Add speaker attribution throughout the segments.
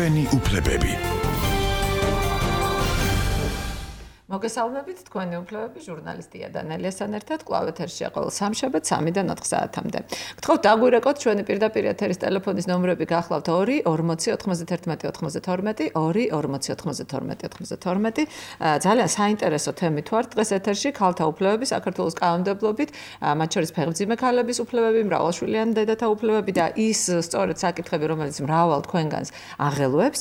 Speaker 1: ჩვენი უფლებები.
Speaker 2: მოგესალმებით, თქვენი უფლებები ჟურნალისტია დანელიასთან ერთად კვლავ ეთერშია ყოველ სამშაბათს 3-დან 4 საათამდე. გთხოვთ დაგვირეკოთ ჩვენი პირდაპირ ეთერის ტელეფონის ნომრები გახლავთ 2 40 91 92 2 40 92 92. ძალიან საინტერესო თემით ვართ დღეს ეთერში ქალთა უფლებები საქართველოს კანონმდებლობით, მათ შორის ფეხმძიმე ქალების უფლებები, მრავალშვილიანი დედათა უფლებები და ის სწორედ საკითხები, რომელიც მრავალ თქვენგანს აღელვებს.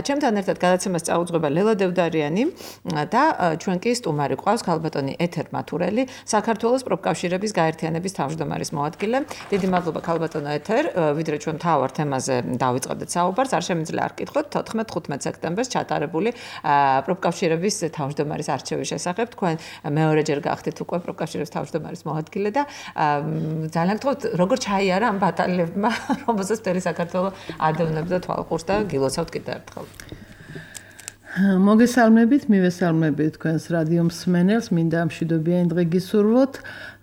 Speaker 2: ჩემთან ერთად გადაცემას წაუძღვება ლელა დევდარიანი და ჩვენ კი სტუმარი ყავს ქალბატონი ეთერ მათურელი, საქართველოს პროფკავშირების გაერთიანების თავმჯდომარის მოადგილე. დიდი მადლობა ქალბატონო ეთერ, ვიდრე ჩვენ თავარ თემაზე დავიწყებდეთ საუბარს, არ შემიძლია არ გკითხოთ 14-15 სექტემბერს ჩატარებული პროფკავშირების თავმჯდომარის არჩევის შესახებ. თქვენ მეორეჯერ გახდით უკვე პროფკავშირების თავმჯდომარის მოადგილე და ძალიან გთხოვთ, როგორ ჩაიარა ამ ბატალიებმა, რომელსაც მთელი საქართველო ადევნებდა თვალყურს და გილოცავთ კიდევ ერთხელ.
Speaker 3: მოგესალმებით, მივესალმებით თქვენს რადიო მსმენელს, მინდა მშვიდობიანი დღე გისურვოთ.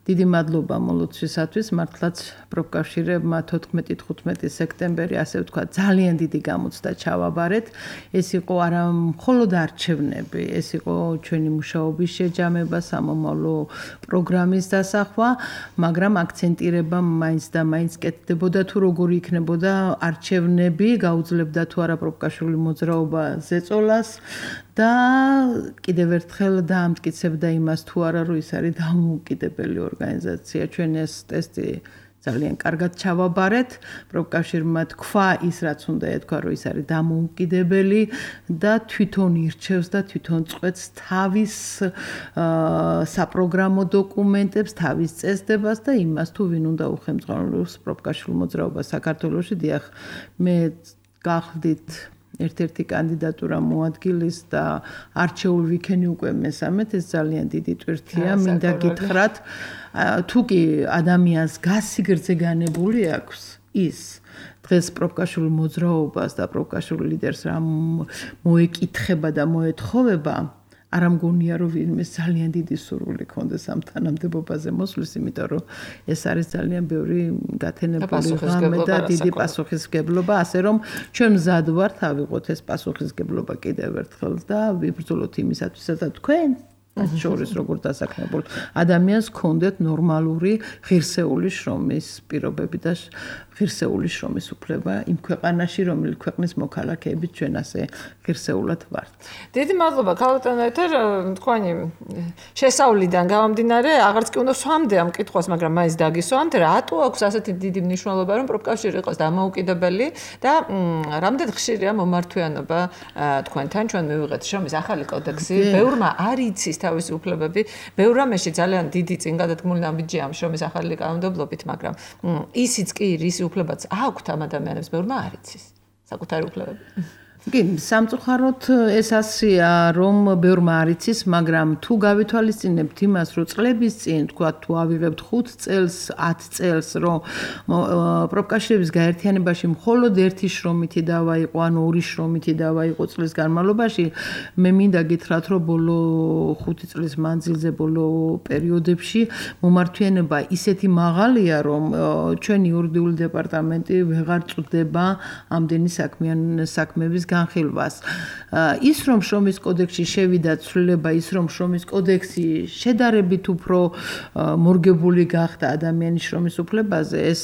Speaker 3: დიდი მადლობა მოლოცვისათვის, მართლაც პროფკავშირებმა 14-15 სექტემბერი, ასე ვთქვათ, ძალიან დიდი გამოცდა ჩავაბარეთ. ეს იყო არა მხოლოდ არჩევნები, ეს იყო ჩვენი მუშაობის შეჯამება, სამომავლო პროგრამის დასახვა, მაგრამ აქცენტირება მაინც და მაინც კეთდებოდა თუ როგორი იქნებოდა არჩევნები, გაუძლებდა თუ არა პროფკავშირული მოძრაობა ზეწოლას და კიდევ ერთხელ დაამტკიცებდა იმას თუ არა რომ ის არის დამოუკიდებელი ორგანიზაცია. ჩვენ ეს ტესტი ძალიან კარგად ჩავაბარეთ. პროფკავშირმა თქვა ის რაც უნდა ეთქვა რომ ის არის დამოუკიდებელი და თვითონ ირჩევს და თვითონ წყვეტს თავის საპროგრამო დოკუმენტებს, თავის წესდებას და იმას თუ ვინ უნდა უხელმძღვანელოს პროფკავშირულ მოძრაობას საქართველოში. დიახ, მე გახდით ერთ-ერთი კანდიდატურა მოადგილის და არჩეული ვიქენი უკვე მესამედ, ეს ძალიან დიდი ტვირთია. მინდა გითხრათ, თუ კი ადამიანს გასიგრძე განებული აქვს ის დღეს პროფკავშირულ მოძრაობას და პროფკავშირულ ლიდერს რა მოეკითხება და მოეთხოვება, არ მგონია რომ ვინმე ძალიან დიდი სურვილი ქონდეს ამ თანამდებობაზე მოსვლის, იმიტომ რომ ეს არის ძალიან ბევრი გათენებული ღამე და დიდი პასუხისმგებლობა, ასე რომ ჩვენ მზად ვართ ავიღოთ ეს პასუხისმგებლობა კიდევ ერთხელ და ვიბრძოლოთ იმისათვის, რომ თქვენ შორის როგორ დასაქმებულ ადამიანს ქონდეთ ნორმალური ღირსეული შრომის პირობები და ღირსეული შრომის უფლება იმ ქვეყანაში, რომელიც ქვეყნის მოქალაქეებით ჩვენ ასე ღირსეულად ვართ.
Speaker 2: დიდი მადლობა ქალბატონო ეთერ, თქვენი შესავლიდან გამომდინარე, აღარც კი უნდა სვამდე ამ კითხვას, მაგრამ მაინც დაგისვამთ, რატო აქვს ასეთი დიდი მნიშვნელობა, რომ პროფკავშირი იყოს დამოუკიდებელი და რამდენ ხშირია მომართვიანობა თქვენთან, ჩვენ მივიღეთ შრომის ახალი კოდექსი, ბევრმა არ იცის თავისი უფლებები, ბევრ რამეში ძალიან დიდი წინ გადადგმული ნაბიჯია ამ შრომის ახალი კანონმდებლობით, მაგრამ ისიც კი რის უფლებაც აქვთ ამ ადამიანებს, ბევრმა არ იცის საკუთარი უფლებები.
Speaker 3: კი, სამწუხაროდ ეს ასია, რომ ბევრმა არ იცის, მაგრამ თუ გავითვალისწინებთ იმას, რომ წლების წინ, თქვათ, თუ ავიღებთ 5 წელს, 10 წელს, რომ პროფკავშირების გაერთიანებაში მხოლოდ ერთი შრომითი დავა იყო, ანუ 2 შრომითი დავა იყო წლის განმავლობაში, მე მინდა გითხრათ, რომ ბოლო 5 წლის მანძილზე, ბოლო პერიოდებში მომართვიანება ისეთი მაღალია, რომ ჩვენი იურიდიული დეპარტამენტი ვეღარ წვდება ამდენი საქმეების განხილვას. ის რომ შრომის კოდექსში შევიდა ცვლილება, ის რომ შრომის კოდექსი შედარებით უფრო მორგებული გახდა ადამიანის შრომის უფლებაზე, ეს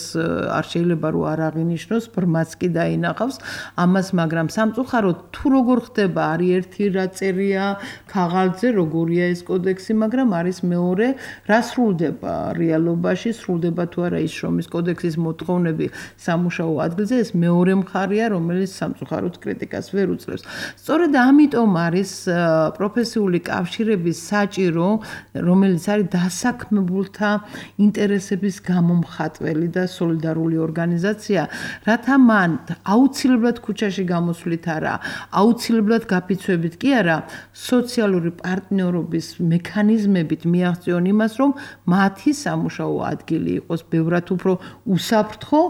Speaker 3: არ შეიძლება რომ არ აღინიშნოს, ბრმაც კი დაინახავს ამას, მაგრამ სამწუხაროდ თუ როგორ ხდება, არის ერთი რა წერია ქაღალდზე, როგორია ეს კოდექსი, მაგრამ არის მეორე, რა სრულდება რეალობაში, სრულდება თუ არა ის შრომის კოდექსის მოთხოვნები სამუშაო ადგილზე, ეს მეორე მხარეა, რომელიც სამწუხაროდ კრიტიკას ვერ უწევს. სწორედ ამიტომ არის პროფესიული კავშირების საჭირო, რომელიც არის დასაქმებულთა ინტერესების გამომხატველი და სოლიდარული ორგანიზაცია, რათა მან აუცილებლად ქუჩაში გამოსვლით არა, აუცილებლად გაფიცვებით კი არა, სოციალური პარტნიორობის მექანიზმებით მიაღწიონ იმას, რომ მათი სამუშაო ადგილი იყოს ბევრად უფრო უსაფრთხო,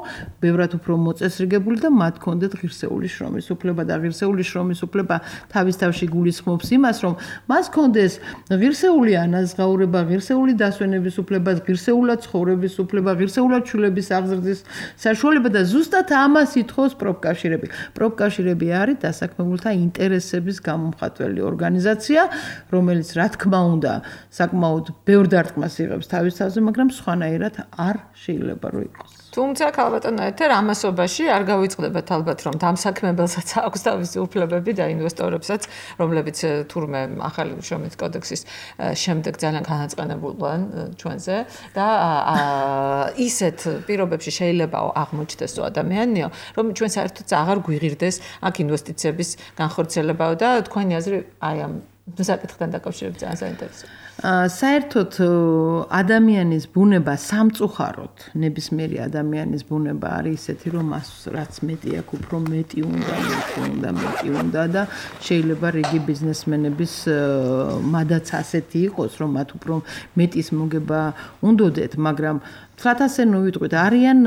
Speaker 3: ბევრად უფრო მოწესრიგებული და მათ კონდეთ ღირსეული შრომის უფლება და ღირსეული შრომის უფლება თავის თავში გულისხმობს იმას, რომ მას კონდეს ღირსეული ანაზღაურება, ღირსეული დასვენების უფლება, ღირსეულად ცხოვრების უფლება, ღირსეულად შვილების აღზრდის საშუალება და ზუსტად ამას ითხოვს პროფკავშირები. პროფკავშირები არის დასაქმებულთა ინტერესების გამომხატველი ორგანიზაცია, რომელიც რა თქმა უნდა საკმაოდ ბევრ დარტყმას იღებს თავის თავზე, მაგრამ სხვანაირად არ შეიძლება რომ იყოს.
Speaker 2: თუმცა ქალბატონო ეთერ ამასობაში არ გავიწყდებათ ალბათ რომ დამსაქმებელსაც აქვს თავისი უფლებები და ინვესტორებსაც, რომლებიც თურმე ახალი შრომის კოდექსის შემდეგ ძალიან განაწყენებულან ჩვენზე და ისეთ პირობებში შეიძლება აღმოჩნდეს ადამიანიო, რომ ჩვენ საერთოდ აღარ გვიღირდეს აქ ინვესტიციების განხორციელებაო და თქვენი აზრი აი ამ საკითხთან დაკავშირებით ძალიან საინტერესოა.
Speaker 3: საერთოდ ადამიანის ბუნება სამწუხაროდ, ნებისმიერი ადამიანის ბუნება არის ისეთი, რომ მას რაც მეტი აქვს, უფრო მეტი უნდა და შეიძლება რიგი ბიზნესმენების მადაც ასეთი იყოს, რომ მათ უფრო მეტის მოგება უნდოდეთ, მაგრამ თქვათ ასე ვიტყვით, არიან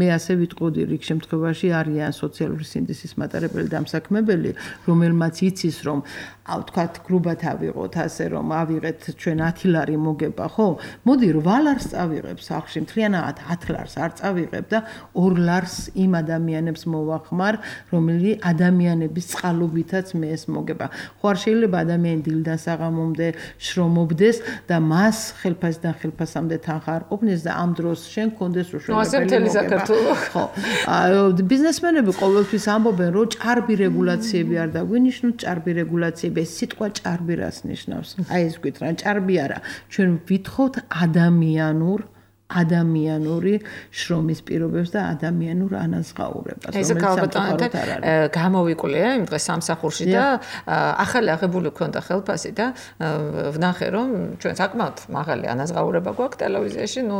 Speaker 3: მე ასე ვიტყოდი რიგ შემთხვევაში არიან სოციალური სინდისის მატარებელი დამსაქმებელი, რომელმაც იცის რომ თქვათ გრუბად ავიღოთ ასე რომ ავიღეთ ჩვენ 10 ლარი მოგება, ხო? მოდი 8 ლარს წავიღებ სახში, მთლიანად 10 ლარს არ წავიღებ და 2 ლარს იმ ადამიანებს მოვახმარ, რომელი ადამიანების წყალობითაც მე ეს მოგება. ხო არ შეიძლება ადამიანი დილიდან საღამომდე შრომობდეს და მას ხელფასიდან ხელფასამდე თანხა არ ყოფნეს და ამ შენ კონდეს უშუალოდ ხო ბიზნესმენები ყოველთვის ამბობენ რომ ჭარბი რეგულაციები არ დაგვინიშნოთ ჭარბი რეგულაციები ეს სიტყვა ჭარბი რას ნიშნავს აი ეს ვიტყვით რა ჭარბი არა ჩვენ ვითხოვთ ადამიანური შრომის პირობებს და ადამიანურ ანაზღაურებას
Speaker 2: ეს ქალბატონო გამოვიკვლია იმ დღეს სამსახურში და ახალი აღებული ქონდა ხელფასი და ვნახე რომ ჩვენ საკმაოდ მაღალი ანაზღაურება გვაქვს ტელევიზიაში ნუ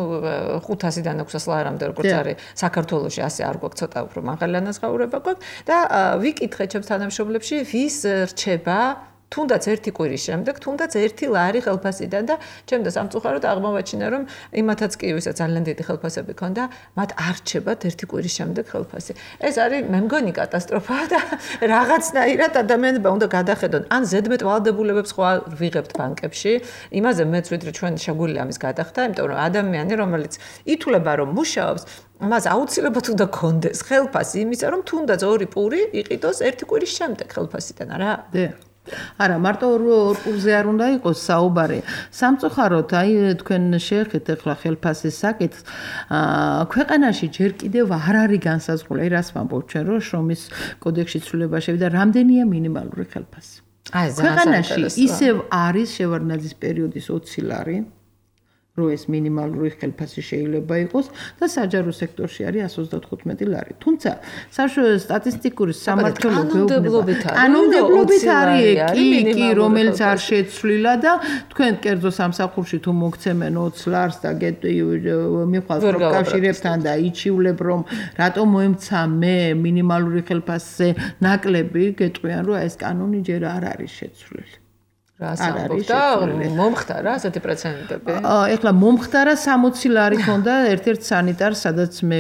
Speaker 2: 500-დან 600 ლარამდე როგორც არის საქართველოში ასე არ გვაქვს ცოტა უფრო მაღალი ანაზღაურება გვაქვს და ვიკითხე ჩემს თანამშრომლებში ვის რჩება თუნდაც ერთი კვირის შემდეგ, თუნდაც 1 ლარი ხელფასიდან და ჩემს სამწუხაროდ აღმოვაჩინა რომ იმათაც კი ვისაც ძალიან დიდი ხელფასები ქონდა, მათ არ რჩებათ 1 კვირის შემდეგ ხელფასი. ეს არის მე მგონი კატასტროფა და რაღაცნაირად ადამიანებმა უნდა გადახედონ. ან ზედმეტ ვალდებულებებს ხო ვიღებთ ბანკებში, იმაზე მეც ვიდრე ჩვენ შეგვიძლია ამის გადახდა, იმიტომ რომ ადამიანი რომელიც ითვლება რომ მუშაობს მას აუცილებლად უნდა კონდეს ხელფასი იმისა რომ თუნდაც 2 პური იყიდოს 1 კვირის შემდეგ ხელფასიდან, არა?
Speaker 3: არა, მარტო ორ პურზე არ უნდა იყოს საუბარი. სამწუხაროდ, აი თქვენ შეეხეთ ახლა ხელფასის საკითხს. ქვეყანაში ჯერ კიდევ არ არის განსაზღვრული, აი რას ვამბობ ჩვენ, რომ შრომის კოდექსში ცვლილება შევიდა, რამდენია მინიმალური ხელფასი. ქვეყანაში ისევ არის შევარდნაძის პერიოდის 20 ლარი. რო ეს მინიმალური ხელფასი შეიძლება იყოს და საჯარო სექტორში არის 135 ლარი. თუმცა სტატისტიკური სამართლობრივი კანონმდებლობით არის კი რომელიც არ შეცვლილა და თქვენ კერძო სამსახურში თუ მოგცემენ 20 ლარს და მიხვალთ პროფკავშირებთან და იჩივლებ რომ რატომ მოემცა მე მინიმალური ხელფასზე ნაკლები გეტყვიან რომ ეს კანონი ჯერ არ არის შეცვლილი.
Speaker 2: რას ამბობ და მომხდარა ასეთი პრეცედენტები?
Speaker 3: ეხლა მომხდარა 60 ლარი ქონდა ერთ-ერთ სანიტარს, სადაც მე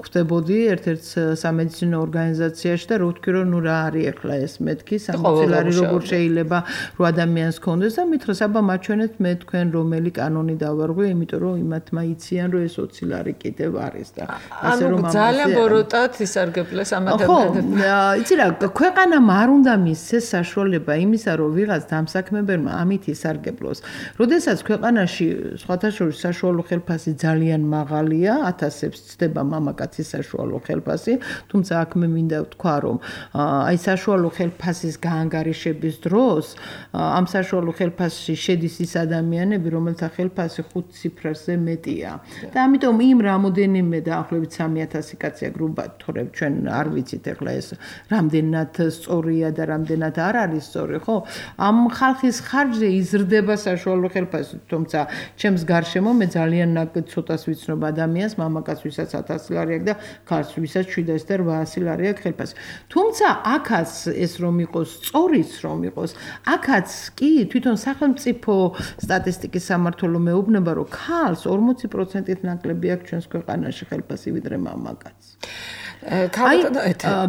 Speaker 3: ხვდებოდი ერთ-ერთ სამედიცინო ორგანიზაციაში და რო ვთქვი რომ ნუ რა არის ეხლა ეს მეთქი 60 ლარი როგორ შეიძლება რო ადამიანს ქონდეს და მითხრას აბა მაჩვენეთ მე თქვენ რომელი კანონი დავარღვე, იმიტომ რომ იმათმა იციან რომ ეს 20 ლარი კიდევ არის და
Speaker 2: ასე რომ ძალიან ბოროტად ისარგებლეს ამ ადამიანებს.
Speaker 3: ხო, იცი რა, ქვეყანამ არ უნდა მისცეს საშუალება იმისა რომ ვიღაც დამსაქმებელმა ამით ისარგებლოს. როდესაც ქვეყანაში სხვათა შორის საშუალო ხელფასი ძალიან მაღალია, 1000-ებს ცდება მამაკაცის საშუალო ხელფასი, თუმცა აქ მე მინდა ვთქვა, რომ აი საშუალო ხელფასის გაანგარიშების დროს ამ საშუალო ხელფასში შედის ის ადამიანები, რომელთა ხელფასი 5 ციფრაზე მეტია. და ამიტომ იმ რამოდენიმე დაახლოებით 3000 კაცია გრუბად თორემ ჩვენ არ ვიცით ახლა ეს რამდენად სწორია და რამდენად არ არის სწორი, ხო? ამ ხალხის ხარჯზე იზრდება საშუალო ხელფასი, თუმცა ჩემს გარშემო მე ძალიან ცოტას ვიცნობ ადამიანს, მამაკაც ვისაც 1000 ლარი აქვს და ქალს ვისაც 700 და 800 ლარი აქვს ხელფასი. თუმცა აქაც ეს რომ იყოს, სწორიც რომ იყოს, აქაც კი თვითონ სახელმწიფო სტატისტიკის სამმართველო მეუბნება, რომ ქალს 40%-ით ნაკლები აქვს ჩვენს ქვეყანაში ხელფასი ვიდრე მამაკაცს.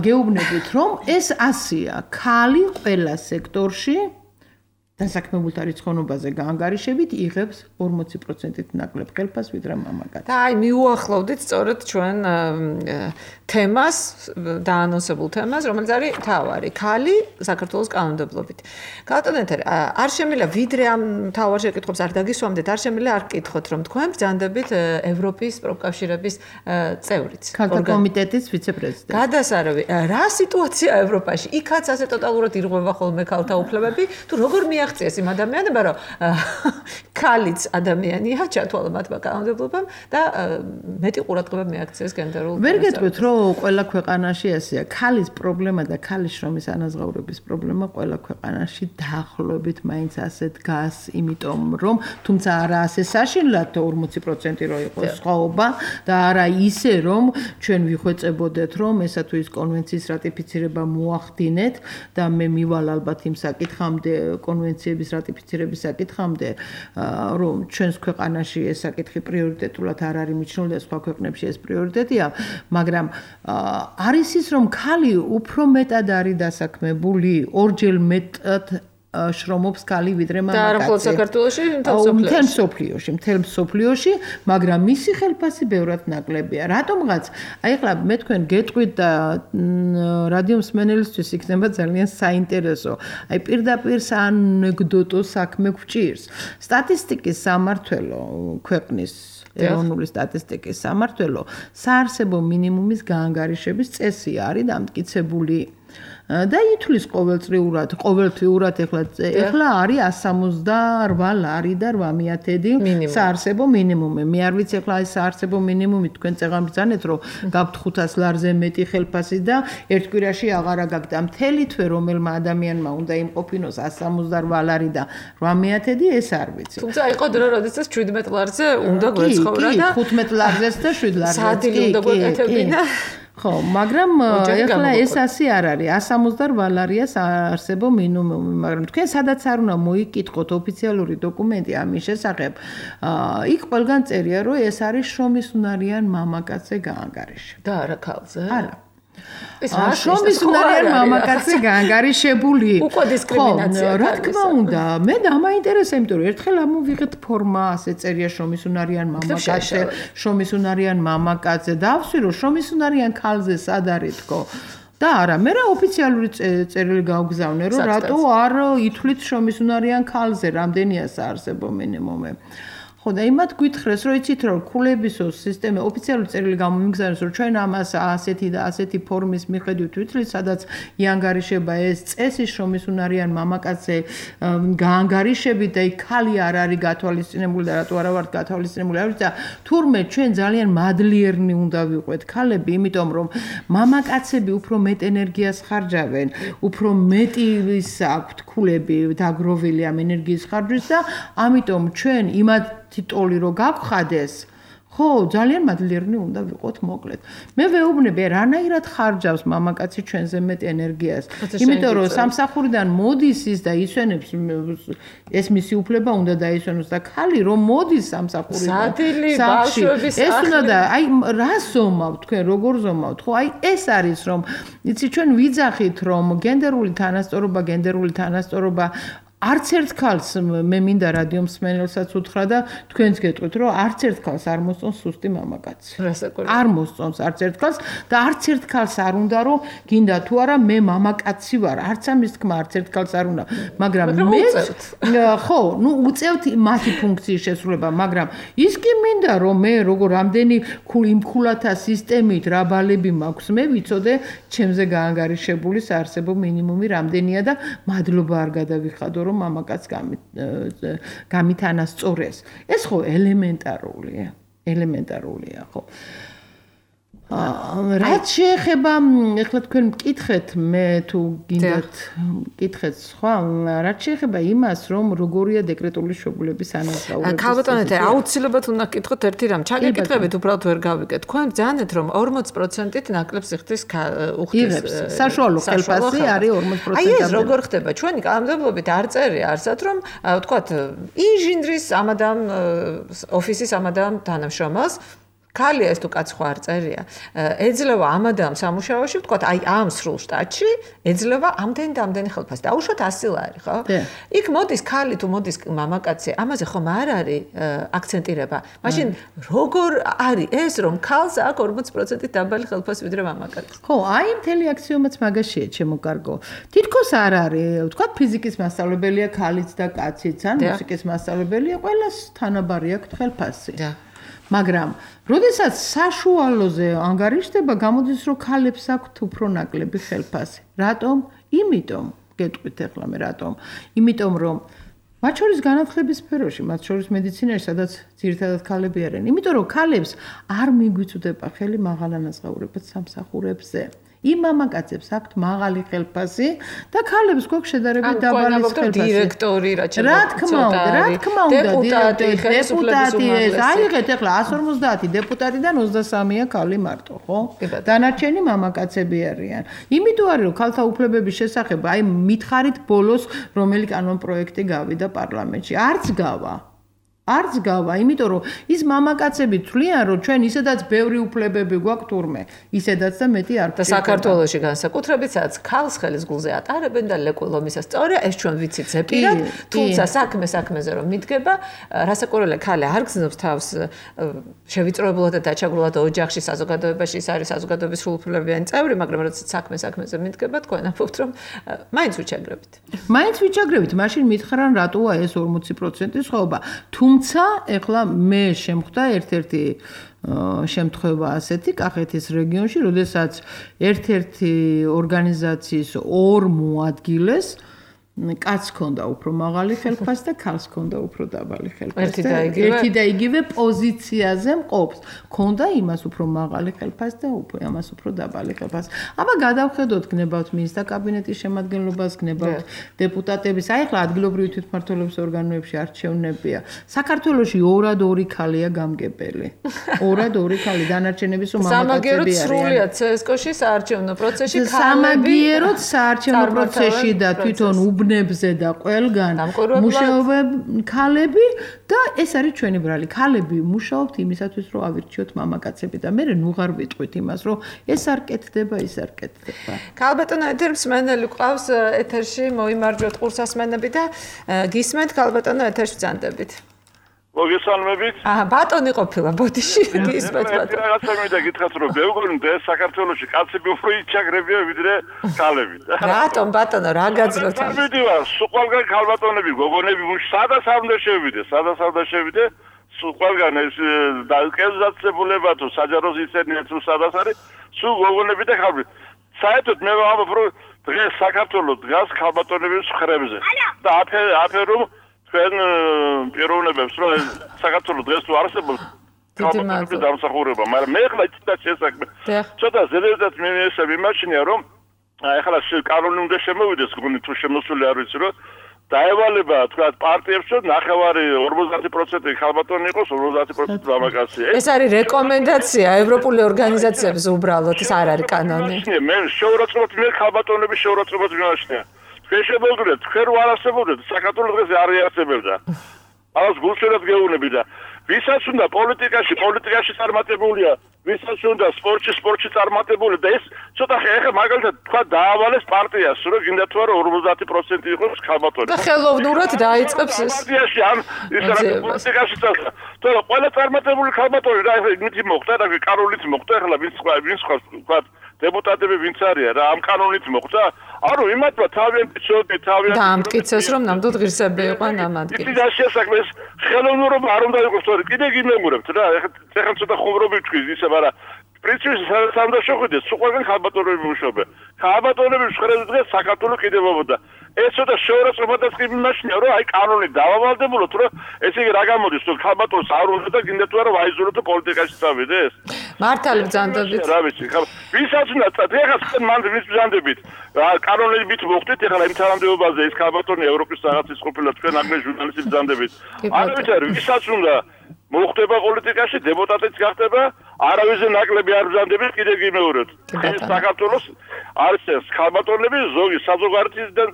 Speaker 3: გეუბნებით რომ ეს ასია ქალი ყველა სექტორში დასაქმებულთა რიცხოვნობაზე გაანგარიშებით იღებს 40%-ით ნაკლებ ხელფას ვიდრე მამაკაცი.
Speaker 2: და აი მიუახლოვდით სწორედ ჩვენ თემას, დაანონსებულ თემას, რომელიც არის თავარი, ქალი საქართველოს კანონმდებლობით. კალტონეთერ, არ შემიძლია ვიდრე ამ თავარ შეკითხვებს არ დაგისვამდეთ, არ შემიძლია არ გკითხოთ, რომ თქვენ ბრძანდებით ევროპის პროფკავშირების წევრიც.
Speaker 3: ქალთა კომიტეტის ვიცე-პრეზიდენტი.
Speaker 2: გადასარევი, რა სიტუაცია ევროპაში? იქაც ასე ტოტალურად ირღვევა ხოლმე ქალთა უფლებები, თუ როგორ მიაღწიეს იმ ადამიანებმა, რომ ქალიც ადამიანია, ჩათვალა მათმა კანონმდებლობამ და მეტი ყურადღება მიაქციეს გენდერულ.
Speaker 3: ვერ გეტყვით, რომ ყველა ქვეყანაში ასეა. ქალის პრობლემა და ქალის შრომის ანაზღაურების პრობლემა ყველა ქვეყანაში დაახლოებით მაინც ასე დგას, იმიტომ რომ თუმცა არა ასე საშინლად 40% რო იყოს სხვაობა და არა ისე რომ ჩვენ ვიხვეწებოდეთ რომ ესა თუ ის კონვენციის რატიფიცირება მოახდინეთ და მე მივალ ალბათ იმ საკითხამდე კონვენციების რატიფიცირების საკითხამდე რომ ჩვენს ქვეყანაში ეს საკითხი პრიორიტეტულად არ არის მიჩნეული და სხვა ქვეყნებში ეს პრიორიტეტია, მაგრამ არის ის რომ ქალი უფრო მეტად არის დასაქმებული, ორჯერ მეტად შრომობს ქალი ვიდრე მამაკაცი.
Speaker 2: და არა მხოლოდ საქართველოში,
Speaker 3: მთელ მსოფლიოში, მაგრამ მისი ხელფასი ბევრად ნაკლებია. რატომღაც, აი ახლა მე თქვენ გეტყვით და რადიო მსმენელისთვის იქნება ძალიან საინტერესო. აი პირდაპირ საანეკდოტო საქმე გვჭირს. სტატისტიკის სამმართველო ქვეყნის ეროვნული სტატისტიკის სამმართველო საარსებო მინიმუმის გაანგარიშების წესი არის დამტკიცებული. და ითვლის ყოველთვიურად ეხლა არის 168 ლარი და 800 საარსებო მინიმუმი. მე არ ვიცი ეხლა ეს საარსებო მინიმუმი თქვენ წეღან ბრძანეთ რომ გაქვთ 500 ლარზე მეტი ხელფასი და ერთ კვირაში აღარა გაქვთ. მთელი თვე რომელმა ადამიანმა უნდა იმყოფინოს 168 ლარი და 800 ეს არ ვიცი.
Speaker 2: თუმცა იყო დრო როდესაც 17 ლარზე უნდა გვეცხოვრა და
Speaker 3: 15 ლარზეც და 7 ლარზეც.
Speaker 2: საათილი უნდა გვეკეთებინა.
Speaker 3: ხო, მაგრამ ეხლა ეს ასე არ არის. 168 ლარია საარსებო მინიმუმი, მაგრამ თქვენ სადაც არ უნდა მოიკითხოთ ოფიციალური დოკუმენტი ამის შესახებ, იქ ყველგან წერია, რომ ეს არის შრომის უნარიან მამაკაცზე გაანგარიშებული.
Speaker 2: და არა ქალზე?
Speaker 3: არა. შრომის უნარიან მამაკაცზე გაანგარიშებული.
Speaker 2: უკვე დისკრიმინაცია.
Speaker 3: რა თქმა უნდა, მე დამაინტერესა, იმიტომ რომ ერთხელ ამოვიღეთ ფორმა, ასე წერია შრომის უნარიან მამაკაცზე, შრომის უნარიან მამაკაცზე. დავსვი რომ შრომის უნარიან ქალზე სად არის თქო. და არა, მე რა ოფიციალური წერილი გავგზავნე, რომ რატო არ ითვლით შრომის უნარიან ქალზე, რამდენია საარსებო მინიმუმი. ხო და იმათ გითხრეს რომ იცით რომ ქულებისო სისტემა ოფიციალური წერილი გამომიგზავნეს რომ ჩვენ ამას ასეთი და ასეთი ფორმის მიხედვით ვითვლით სადაც იანგარიშება ეს წესი შრომის უნარიან მამაკაცზე გაანგარიშებით და იქ ქალი არ არის გათვალისწინებული და რატო არა ვართ გათვალისწინებული არ ვიცი და თურმე ჩვენ ძალიან მადლიერნი უნდა ვიყვეთ ქალები იმიტომ რომ მამაკაცები უფრო მეტ ენერგიას ხარჯავენ უფრო მეტი ის აქვთ ქულები დაგროვილი ამ ენერგიის ხარჯვის და ამიტომ ჩვენ იმათ ტოლი რო გაგხადეს ხო ძალიან მადლიერნი უნდა ვიყოთ მოკლედ მე ვეუბნები რანაირად ხარჯავს მამაკაცი ჩვენზე მეტ ენერგიას იმიტომ რომ სამსახურიდან მოდის ის და ისვენებს ეს მისი უფლება უნდა დაისვენოს და ქალი რომ მოდის სამსახურიდან
Speaker 2: სადილი ბავშვების
Speaker 3: ეს უნდა და აი რა ზომავთ თქვენ როგორ ზომავთ ხო აი ეს არის რომ იცი ჩვენ ვიძახით რომ გენდერული თანასწორობა არც ერთ ქალს მე მინდა რადიო მსმენელსაც უთხრა და თქვენც გეტყვით რომ არც ერთ ქალს არ მოსწონს სუსტი მამაკაცი. არ მოსწონს არც ერთ ქალს და არც ერთ ქალს არ უნდა რომ გინდა თუ არა მე მამაკაცი ვარ. არც ამის თქმა არც ერთ ქალს არ უნდა. მაგრამ მე ხო, ნუ უწევთ მათი ფუნქციის შესრულება, მაგრამ ის კი მინდა რომ მე როგორ რამდენი იმქულათა სისტემით რა ბალები მაქვს მე ვიცოდე ჩემზე გაანგარიშებული საარსებო მინიმუმი რამდენია და მადლობა არ გადავიხადო რომ მამაკაც გამითანასწორეს. ეს ხო ელემენტარულია, ხო. რაც შეეხება, ეხლა თქვენ მკითხეთ, მე თუ გინდათ მკითხეთ სხვა, რაც შეეხება იმას, რომ როგორია დეკრეტული შვებულების ანაზღაურება.
Speaker 2: ქალბატონეთე, აუცილებლად უნდა გკითხოთ ერთი რამ. ჩაგეკითხებით უბრალოდ ვერ გავიგეთ. თქვენ ბრძანეთ, რომ 40%-ით ნაკლებ სიხდის უხდის.
Speaker 3: საშუალო ხელფასი არის 40%.
Speaker 2: აი ეს როგორ ხდება? ჩვენი კანონმდებლობით არ წერია არსად, რომ ვთქვათ, ინჟინრის ამადამ ოფისის ამადამ თანამშრომელს ქალია ეს თუ კაც ხო არ წერია. ეძლევა ამადამ სამუშაოში, ვთქვათ, აი ამ სრულ შტატში ეძლევა ამდენი ხელფასი. დაუშვათ 100 ლარი, ხო? იქ მოდის ქალი თუ მოდის მამაკაცი, ამაზე ხომ არ არის აქცენტირება. მაშინ როგორ არის ეს რომ ქალს აქვს 40% დაბალი ხელფასი ვიდრე მამაკაცს?
Speaker 3: ხო, აი მთელი აქსიომაც მაგაშია, ჩემო კარგო. თითქოს არ არის, ვთქვათ, ფიზიკის მასწავლებელია ქალიც და კაციც, ან მუსიკის მასწავლებელია, ყველას თანაბარი აქვს ხელფასი. მაგრამ, როდესაც საშუალოზე ანგარიშდება, გამოდის, რომ ქალებს აქვთ უფრო ნაკლები ხელფასი. რატომ? იმიტომ, გეტყვით ახლა მე რატომ? იმიტომ, რომ მათ შორის განათლების სფეროში, მათ შორის მედიცინაში, სადაც ძირითადად ქალები არიან. იმიტომ, რომ ქალებს არ მიგვიწვდება ხელი მაღალანაზღაურებად სამსახურებზე. იმ მამაკაცებს აქვთ მაღალი ხელფასი და ქალებს გვაქვს შედარებით დაბალი ხელფასი.
Speaker 2: დირექტორი რა
Speaker 3: თქმა უნდა, დეპუტატი ეს აიღეთ ახლა 150 დეპუტატიდან 23-ია ქალი მარტო, ხო? დანარჩენი მამაკაცები არიან. იმიტომ არის, რომ ქალთა უფლებების შესახებ აი მითხარით ბოლოს რომელი კანონპროექტი გავიდა პარლამენტში. არც გავა, იმიტომ რომ ის მამაკაცები თვლიან, რომ ჩვენ ისედაც ბევრი უფლებები გვაქვს თურმე, ისედაც და მეტი არ
Speaker 2: გვაქვს. და საქართველოში განსაკუთრებით, სადაც ქალს ხელის გულზე ატარებენ და ლეკვილომისა სწორია, ეს ჩვენ ვიცით ზეპირად, თუმცა საქმეზე რომ მიდგება, რასაკვირველია, ქალი არ გზნობს თავს შევიწროებულად და დაჩაგრულად ოჯახში, საზოგადოებაში, ის არის საზოგადოების სრულუფლებიანი წევრი, მაგრამ როდესაც საქმეზე მიდგება, თქვენ ამბობთ, რომ მაინც ვიჩაგრებით, მაშინ მითხრან, რატოა ეს 40% სხვაობა. თუმცა ეხლა მე შემხვდა ერთ-ერთი შემთხვევა ასეთი კახეთის რეგიონში, როდესაც ერთ-ერთი ორგანიზაციის ორ მოადგილეს კაცს ჰქონდა უფრო მაღალი ხელფასი და ქალს ჰქონდა უფრო დაბალი ხელფასი. ერთი და იგივე პოზიციაზე მყოფს. ჰქონდა იმას უფრო მაღალი ხელფასი და ამას უფრო დაბალი ხელფასი. აბა გადავხედოთ, გნებავთ მინისტრთა კაბინეტის შემადგენლობას, გნებავთ დეპუტატების, აი ახლა ადგილობრივი თვითმმართველობის ორგანოებში არჩევნებია. საქართველოში 2-2 ქალია გამგებელი. 2-2 ქალი, დანარჩენების მამაკაცები არიან. სამაგიეროდ სრულიად CSKO-ში საარჩევნო პროცესში ქალები.
Speaker 3: სამაგიეროდ საარჩევნო პროცესში და თვითონ უბნებზე და ყველგან მუშაობენ ქალები და ეს არის ჩვენი ბრალი. ქალები მუშაობთ იმისათვის, რომ ავირჩიოთ მამაკაცები და მე ნუღარ ვიტყვით იმას, რომ ეს არ კეთდება, ის არ კეთდება.
Speaker 2: ქალბატონო ეთერმსმენელი ყავს ეთერში, მოიმარჯვოთ ყურსასმენები და გისმენთ ქალბატონო ეთერში ბრძანდებით.
Speaker 1: მოგესალმებით.
Speaker 2: ბატონი ყოფილა ბოდიში გისმენთ
Speaker 1: ბატონო. რაღაცა მინდა გითხრათ, რომ ბევრი საქართველოში კაცები უფრო იჩაგრებია ვიდრე ქალები.
Speaker 2: რატომ ბატონო, რა გაძლევთ ამას?
Speaker 1: მიდივარ, სულ ქალბატონები, გოგონები სადაც არ უნდა შევიდე, სულ ყველგან ეს კერძდაცებულება თუ საჯარო ზიცენია თუ სადაც არის, სულ გოგონები და ქალები. საერთოდ მე ვამბობ, რომ დღეს საქართველოს დგას ქალბატონების ხრებზე. და აფერო ჩვენ პიროვნებებს, რომ საქართველოს დღეს თუ არსებობს ქალბატონების დამსახურება, მაგრამ მე ხლა ცოტა შესაქმე. ცოტა ზედმეტად მიმაჩნია, რომ ახლა კანონი უნდა შემოვიდეს, გონი თუ შემოსული არ ვიცი, რომ დაევალება თქვა პარტიებს, რომ ნახევარი 50% ქალბატონი იყოს, 50% მამაკაცი.
Speaker 2: ეს არის რეკომენდაცია ევროპული ორგანიზაციების უბრალოდ, ეს არ არის კანონი.
Speaker 1: მე შეურაცხყოფად მე ქალბატონების შეურაცხყოფად მიმაჩნია. თქვენ შემოგიძლიათ, თქვენ არ არსებობდეთ, საქართველოს დღეს არ იარსებებდა. ამას გულშემატკივრად გეუბნები და ვისაც უნდა პოლიტიკაში წარმატებულია, ვისაც უნდა სპორტში წარმატებული და ეს ცოტა ხე მაგალითად თქვა დაავალეს პარტიას, რომ გინდა თუ არა 50% იყოს ქალბატონი.
Speaker 2: და ხელოვნურად დაიწყებს ეს
Speaker 1: პარტიაში ამ ის რა პოლიტიკაში წასვლა. თორე ყველა წარმატებული ქალბატონი რა იმით მოხდა და კანონით მოხდა, ახლა ვინც თქვა დეპუტატები ვინც არიან რა ამ კანონით მოხდა? არო იმათმა თავიანთი
Speaker 2: და ამტკიცეს რომ ნამდვილ ღირსები იყვნენ ამ ადგილზე.
Speaker 1: ის შესაძლოა ხელოვნურობა არ უნდა იყოს, თორე კიდე გიმეგურებთ რა, ეხლა ცოტა ხუმრობი თქვი ისე, მაგრამ პრინციპში სამ და შეხვიდეს, სულ ყველგან ქალბატონები მუშაობენ. ქალბატონების ხრებზე დღეს საქართველოს კიდევებოდა. ეს ცოტა შეურაცხყოფადაც კი მიმაჩნია, რომ აი კანონი დავავალდებულოთ, რომ ესე იგი რა გამოდის, რომ ქალბატონს არ უნდა და გინდა თუ არა ვაიზოლოთ პოლიტიკაში წავიდეს.
Speaker 2: მართალი ბრძანდებით.
Speaker 1: რა ვიცი, ვისაც უნდა ეხლა თქვენ მანდ ვის ბრძანდებით? კანონებით მოხდით, ეხლა იმ თანამდებობაზე ის ქალბატონი ევროპის რაღაცის ყოფილა თქვენ აგრე ჟურნალისტი ბრძანდებით. არ ვიცი, ვისაც უნდა მოხდება პოლიტიკაში, დეპუტატიც გახდება, არავისზე ნაკლები არ ბრძანდებით, კიდე გიმეორებთ. ეს საქართველოს არის ეს ქალბატონები ზოგი საზოგადოებისგან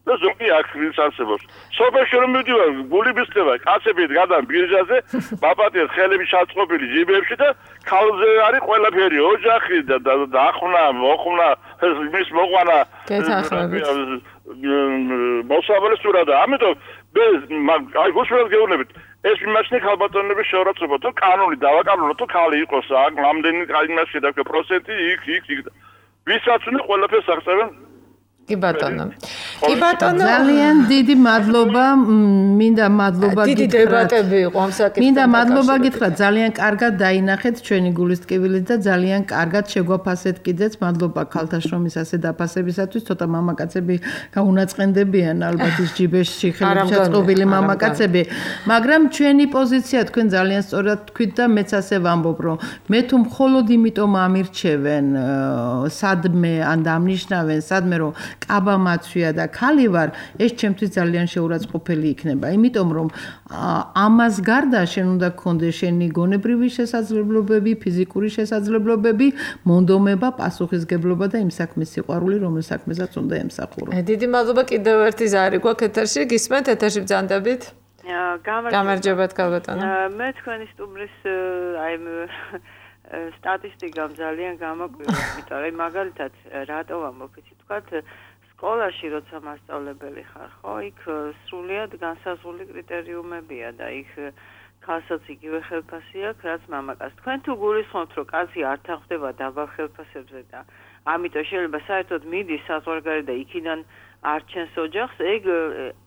Speaker 1: და ზოგი აქ არსებობს. სოფელში რომ მივდივარ, გული მისწევა, კაცები გადან ბირჟაზე, მაპატიეს ხელები ჩაწყობილი ჯიბებში და ქალზე არის ყველაფერი, ოჯახი და ახונה, მოხუნა, მის მოყვანა.
Speaker 2: გეთანხმებით.
Speaker 1: მოსაბოლეს სურადა. ამიტომ აი გუშინაც გეუბნებით. ეს იმაშნი ხალბატონების შეურაცხყოფა, თუ კანონი დავაკანონოთ, თუ ხალი იყოს, აქ რამდენი იმაში და პროცენტი იქ. ვისაც უნდა ყველაფერს აღწევენ.
Speaker 2: კი ბატონო. კი ბატონო.
Speaker 3: ძალიან დიდი მადლობა, მინდა მადლობა გითხრათ.
Speaker 2: დიდი დებატები იყო ამ საკითხთან.
Speaker 3: მინდა მადლობა გითხრათ, ძალიან კარგად დაინახეთ ჩვენი გულის ტკივილით და ძალიან კარგად შეგვაფასეთ კიდეც. მადლობა ქალთა შრომის ასე დაფასებისათვის. ცოტა მამაკაცები გაუნაწყენდებიან ალბათ ის ჯიბეში ხელით ჩაწყობილი მამაკაცები, მაგრამ ჩვენი პოზიცია თქვენ ძალიან სწორად თქვით და მეც ასე ვამბობ, რომ მე თუ მხოლოდ იმიტომ ამირჩევენ სადმე ან დამნიშნავენ სადმე რომ კაბა მაცვია და ქალი ვარ, ეს ჩემთვის ძალიან შეურაცხყოფელი იქნება. იმიტომ რომ ამას გარდა შენ უნდა გქონდეს შენი გონებრივი შესაძლებლობები, ფიზიკური შესაძლებლობები, მონდომება, პასუხისგებლობა და იმ საქმის სიყვარული, რომელ საქმესაც უნდა ემსახურო.
Speaker 2: დიდი მადლობა კიდევ ერთი ზარი გვაქვს ეთერში, გისმენთ ეთერში ბრძანდებით? გამარჯობათ ქალბატონო.
Speaker 4: მე თქვენი სტუმრის აი სტატისტიკამ ძალიან გამოკვირვა, იმიტომ რომ მაგალითად რატო ვამბობ იცი თქვათ სკოლაში როცა მასწავლებელი ხარ, ხო, იქ სრულიად განსაზღვრული კრიტერიუმებია და იქ ქალსაც იგივე ხელფასი აქვს, რაც მამაკაცს. თქვენ თუ გულისხმობთ, რომ კაცი არ თანხდება დაბალ ხელფასებზე და ამიტომ შეიძლება საერთოდ მიდის საზღვარგარეთ და იქიდან არჩენს ოჯახს,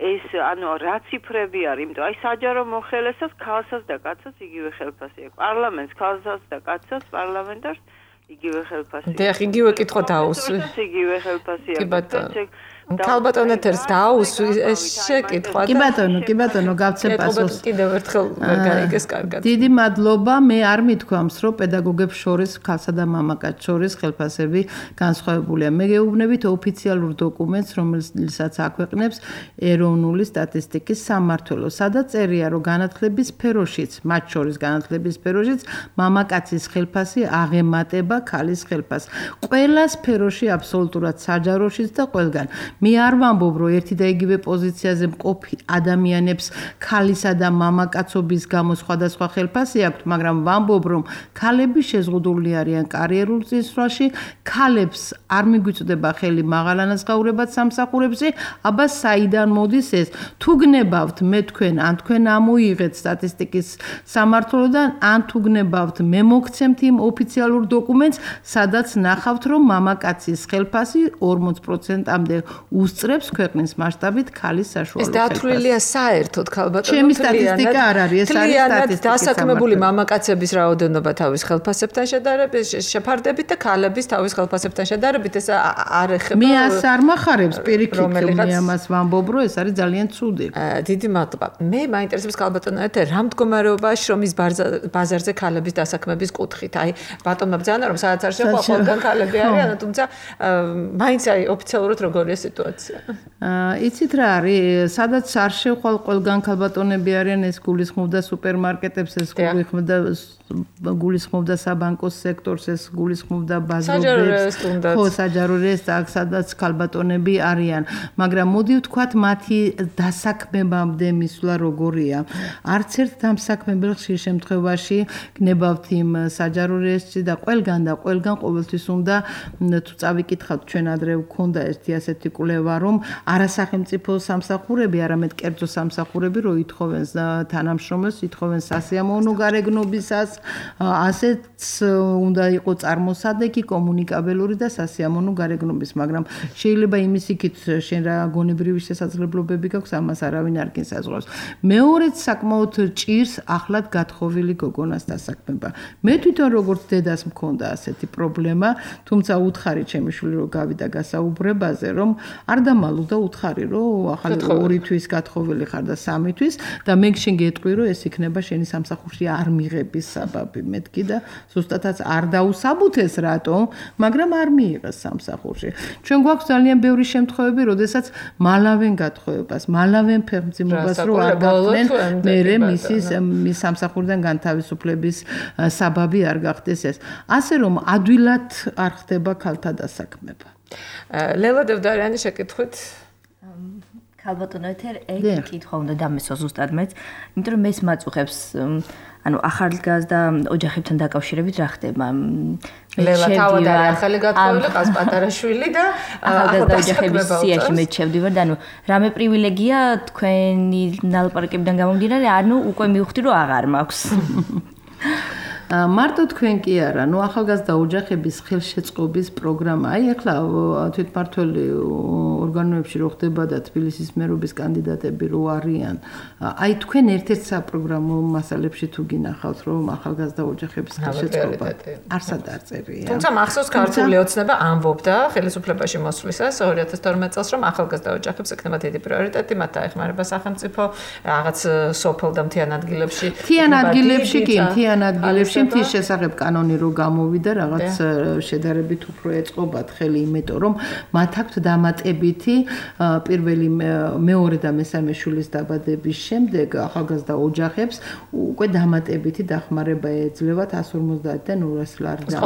Speaker 4: ეს ანუ რა ციფრები არის, იმიტომ აი საჯარო მოხელესაც ქალსაც და კაცსაც იგივე ხელფასი აქვს. პარლამენტს ქალსაც და კაცსაც პარლამენტარს იგივე ხელფასი.
Speaker 2: და იგივე კითხვა დაუსვი.
Speaker 4: იგივე ხელფასი აქვს.
Speaker 2: ქალბატონო ეთერს დაუსვი ეს შეკითხვა.
Speaker 3: კი ბატონო, გავცემ პასუხს.
Speaker 2: კიდევ ერთხელ ვერ გაიგეს კარგად.
Speaker 3: დიდი მადლობა, მე არ მithქვამს, რომ პედაგოგებს შორის ქალსა და მამაკაცს შორის ხელფასები განსხვავებულია. მე გეუბნებით ოფიციალურ დოკუმენტს, რომელსაც აქვეყნებს ეროვნული სტატისტიკის სამმართველო, სადაც წერია, რომ განათლების სფეროშიც, მათ შორის განათლების სფეროშიც მამაკაცის ხელფასი აღემატება ქალის ხელფასს. ყველა სფეროში აბსოლუტურად საჯაროშიც და ყველგან. მე არ ვამბობ, რომ ერთი და იგივე პოზიციაზე მყოფი ადამიანებს ქალისა და მამაკაცობის გამო სხვადასხვა ხელფასი აქვთ, მაგრამ ვამბობ, რომ ქალები შეზღუდული არიან კარიერულ წინსვლაში, ქალებს არ მიგვიწვდება ხელი მაღალანაზღაურებად სამსახურებში, აბა საიდან მოდის ეს? თუ გნებავთ მე თქვენ, ან თქვენ ამოიღეთ სტატისტიკის სამმართველოდან, ან თუ გნებავთ მე მოგცემთ იმ ოფიციალურ დოკუმენტს, სადაც ნახავთ, რომ მამაკაცის ხელფასი 40%-მდე უსწრებს ქვეყნის მასშტაბით ქალის საშუალო
Speaker 2: ხელფასს. ეს დათვლილია საერთოდ ქალბატონო.
Speaker 3: ჩემი სტატისტიკა არ არის, ეს არის სტატისტიკა.
Speaker 2: დასაქმებული მამაკაცების რაოდენობა თავის ხელფასებთან შეფარდებით და ქალების თავის ხელფასებთან შედარებით ეს არ ეხება.
Speaker 3: მე ას არ მახარებს პირიქით, მე ამას ვამბობ, რომ ეს არის ძალიან ცუდი.
Speaker 2: დიდი მადლობა. მე მაინტერესებს ქალბატონო ეთერ რა მდგომარეობაა შრომის ბაზარზე ქალების დასაქმების კუთხით. აი ბატონმა ბრძანა რომ სადაც არ შეყვა ყველგან ქალები არიან, თუმცა მაინც აი ოფიციალურად როგორია სიტუაცია?
Speaker 3: იცით რა არის, სადაც არ შევხვალ ყველგან ქალბატონები არიან, ეს გულისხმობდა სუპერმარკეტებს, ეს გულისხმობდა საბანკო სექტორს, ეს გულისხმობდა ბაზრობებს, ხო, საჯარო რესტორნს, სადაც ქალბატონები არიან, მაგრამ მოდი ვთქვათ, მათი დასაქმებამდე მისვლა როგორია. არც ერთ დამსაქმებელ ხშირ შემთხვევაში გნებავთ იმ საჯარო რესტორნში და ყველგან ყოველთვის უნდა თუ წავიკითხავთ ჩვენ ადრე ვქონდა ერთი ასეთი კვლევა, რომ არასახელმწიფო სამსახურები, არამედ კერძო სამსახურები რო ითხოვენ თანამშრომელს, ითხოვენ სასიამოვნო გარეგნობისას, ასეც უნდა იყოს წარმოსადეგი, კომუნიკაბელური და სასიამოვნო გარეგნობის, მაგრამ შეიძლება იმის იქით შენ რა გონებრივი შესაძლებლობები გაქვს, ამას არავინ არ გინსაზღვრავს. მეორეც საკმაოდ ჭირს ახლად გათხოვილი გოგონას დასაქმება. მე თვითონ როგორც დედას მქონდა ასეთი პრობლემა, თუმცა უთხარი ჩემი შვილი რო გავიდა გასაუბრებაზე, რომ არ დამალუდა უთხარი, რომ ახალი 2 თვის გათხოვილი ხარ და 3 თვის და მე შენ გეტყვი, რომ ეს იქნება შენი სამსახურში არ მიღების საბაბი. მეთქი და ზუსტადაც არ დაუსაბუთეს რატომ, მაგრამ არ მიიღეს სამსახურში. ჩვენ გვაქვს ძალიან ბევრი შემთხვევები, როდესაც მალავენ გათხოვებას, მალავენ ფეხმძიმობას რო არ გახდნენ, მერე მის სამსახურიდან განთავისუფლების საბაბი არ გახდეს ეს. ასე რომ ადვილად არ ხდება ქალთა დასაქმება.
Speaker 2: ლელა დევდარიანი შეკითხვით
Speaker 5: ქალბატონო ეთერ ერთი კითხვა უნდა დამესვა ზუსტად მეც, იმიტომ რომ მეც მაწუხებს ანუ ახალგაზრდა ოჯახებთან დაკავშირებით რა ხდება?
Speaker 2: ლელა თავად არის ახალი გათხოვილი, ყავს პატარა შვილი და
Speaker 5: ახალგაზრდა ოჯახების სიაში მეც შევდივარ და ანუ რამე პრივილეგია თქვენი ნალაპარაკებიდან გამომდინარე, ანუ უკვე მივხვდი რომ აღარ მაქვს.
Speaker 3: მარტო თქვენ კი არა, ნუ ახალგაზრდა ოჯახების ხელშეწყობის პროგრამა. აი ახლა თვითმმართველი ორგანოებში რო ხდება და თბილისის მერობის კანდიდატები რო არიან, აი თქვენ ერთ-ერთ საპროგრამო მასალებში თუ გინახავთ, რომ ახალგაზრდა ოჯახების ხელშეწყობა არსად არ წერია.
Speaker 2: თუმცა მახსოვს ქართული ოცნება ამბობდა ხელისუფლებაში მოსვლისას 2012 წელს, რომ ახალგაზრდა ოჯახებს ექნება დიდი პრიორიტეტი, მათ დაეხმარება სახელმწიფო რაღაც სოფელ და მთიან ადგილებში.
Speaker 3: მთიან ადგილებში კი, მთიან ადგილებში მთის შესახებ კანონი რო გამოვიდა, რაღაც შედარებით უფრო ეწყობათ ხელი, იმიტომ რომ მათ აქვთ დამატებითი პირველი, მეორე და მესამე შვილის დაბადების შემდეგ ახალგაზრდა ოჯახებს უკვე დამატებითი დახმარება ეძლევათ 150-დან 200 ლარამდე.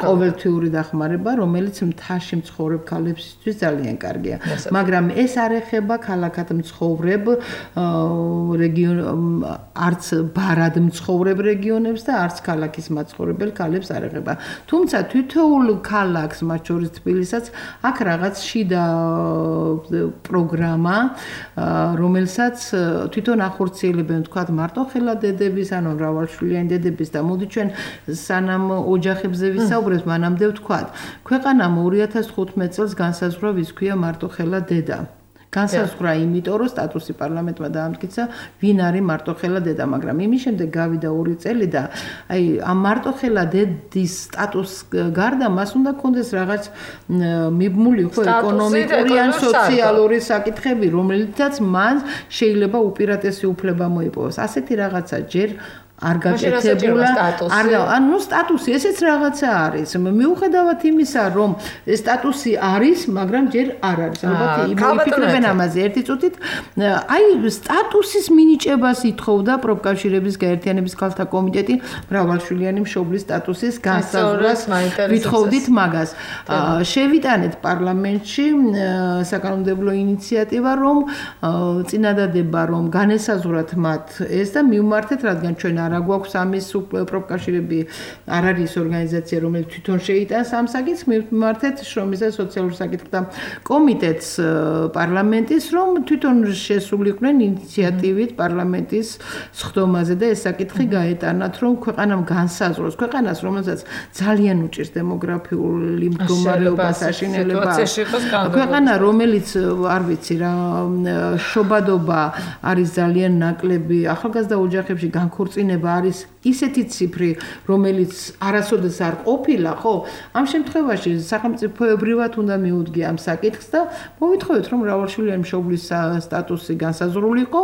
Speaker 3: ყოველთვიური დახმარება, რომელიც მთაში მცხოვრებ ქალებისთვის ძალიან კარგია. მაგრამ ეს არ ეხება ქალაქად მცხოვრებ რეგიონ არც ბარად მცხოვრებ რეგიონებს და არც ქალაქის მაცხოვრებელ ქალებს არ ეხება. თუმცა თითოეულ ქალაქს, მათ შორის თბილისსაც, აქ რაღაც შიდა პროგრამა, რომელსაც თვითონ ახორციელებენ, თქვათ, მარტოხელა დედების, ანუ მრავალშვილიანი დედების და მოდი ჩვენ სანამ ოჯახებზე ვისაუბრებთ, მანამდე ვთქვათ, ქვეყანამ 2015 წელს განსაზღვრა, ვის ქვია მარტოხელა დედა. განსაზღვრა იმიტომ, რომ სტატუსი პარლამენტმა დაამტკიცა, ვინ არის მარტოხელა დედა, მაგრამ იმის შემდეგ გავიდა 2 წელი და აი ამ მარტოხელა დედის სტატუს გარდა მას უნდა კონდეს რაღაც მიბმული ხო ეკონომიკური ან სოციალური საკითხები, რომელიცაც მან შეიძლება უპირატესი უფლება მოიპოვოს. ასეთი რაღაცა ჯერ არ გაკეთებულა, ანუ სტატუსი ესეც რაღაცა არის. მიუხედავად იმისა, რომ სტატუსი არის, მაგრამ ჯერ არ არის. ალბათ იმიფიქრებენ ამაზე ერთი წუთით. აი სტატუსის მინიჭებას ითხოვდა პროფკავშირების გაერთიანების ქალთა კომიტეტი მრავალშვილიანი მშობლის სტატუსის განსაზღვრას. ვითხოვდით მაგას. შევიტანეთ პარლამენტში საკანონმდებლო ინიციატივა, რომ წინადადება, რომ განესაზღვრათ მათ ეს და მივმართეთ, რადგან ჩვენ არა გვაქვს ამის პროფკავშირები არ არის ორგანიზაცია, რომელიც თვითონ შეიტანს ამ საკითხს, მივმართეთ შრომის და სოციალურ საკითხთა კომიტეტს პარლამენტის, რომ თვითონ შესულიყვნენ ინიციატივით პარლამენტის სხდომაზე და ეს საკითხი გაეტანათ, რომ ქვეყანამ განსაზღვროს, ქვეყანას, რომელსაც ძალიან უჭირს დემოგრაფიული მდგომარეობა, საშინელება, ქვეყანა, რომელიც არ ვიცი რა, შობადობა არის ძალიან ნაკლები, ახალგაზრდა ოჯახებში განქორწინება არის ისეთი ციფრი, რომელიც არასოდეს არ ყოფილა, ხო? ამ შემთხვევაში სახელმწიფოებრივად უნდა მიუდგია ამ საკითხს და მოვითხოვეთ, რომ მრავალშვილიანი მშობლის სტატუსი განსაზღვრულიყო.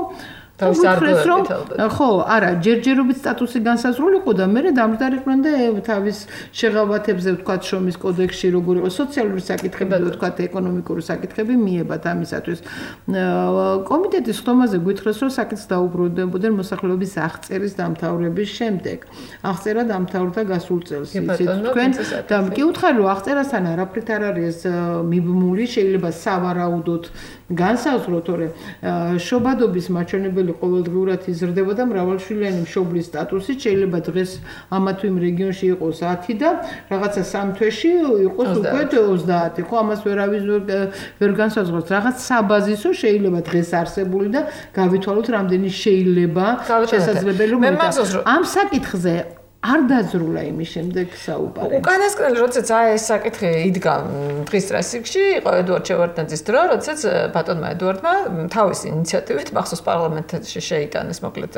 Speaker 3: დავისარგებლეთ რომ ხო, არა, ჯერჯერობით სტატუსი განსაზღვრულიყო და მე დამჯდარიყვნენ და თავის შეღავათებზე ვთქვათ შრომის კოდექსში როგორ იყო სოციალური საკითხები, ვთქვათ ეკონომიკური საკითხები მიებათ ამისათვის. კომიტეტის ხდომაზე გითხრეს, რომ საკითხს დაუბრუნდებოდნენ მოსახლეობის აღწერის დამთავრების შემდეგ. აღწერა დამთავრდა გასულ წელს, იცით თქვენ და კი უთხარი რომ აღწერასთან არაფრით არ არის მიბმული, შეიძლება სავარაუდოდ განსაზღვროთ, თორემ შობადობის მაჩვენებელი ყოველდღიურად იზრდებოდა მრავალშვილიანი მშობლის სტატუსით, შეიძლება დღეს ამა თუ იმ რეგიონში იყოს 10 და რაღაცა 3 თვეში იყოს უკვე 30, ხო, ამას ვერ განსაზღვროთ. რაღაც საბაზისო შეიძლება დღეს არსებული და გავითვალოთ რამდენი შეიძლება შესაძლებელი რომ ამ საკითხზე არ დაძრულა იმის შემდეგ საუბარი.
Speaker 2: უკანასკნელი როდესაც ეს საკითხი იდგა დღის სტრესიკში, იყო ედუარდ შევარდნაძის დრო, როდესაც ბატონმა ედუარდმა თავის ინიციატივით მახსოვს პარლამენტში შეიტანეს მოკლედ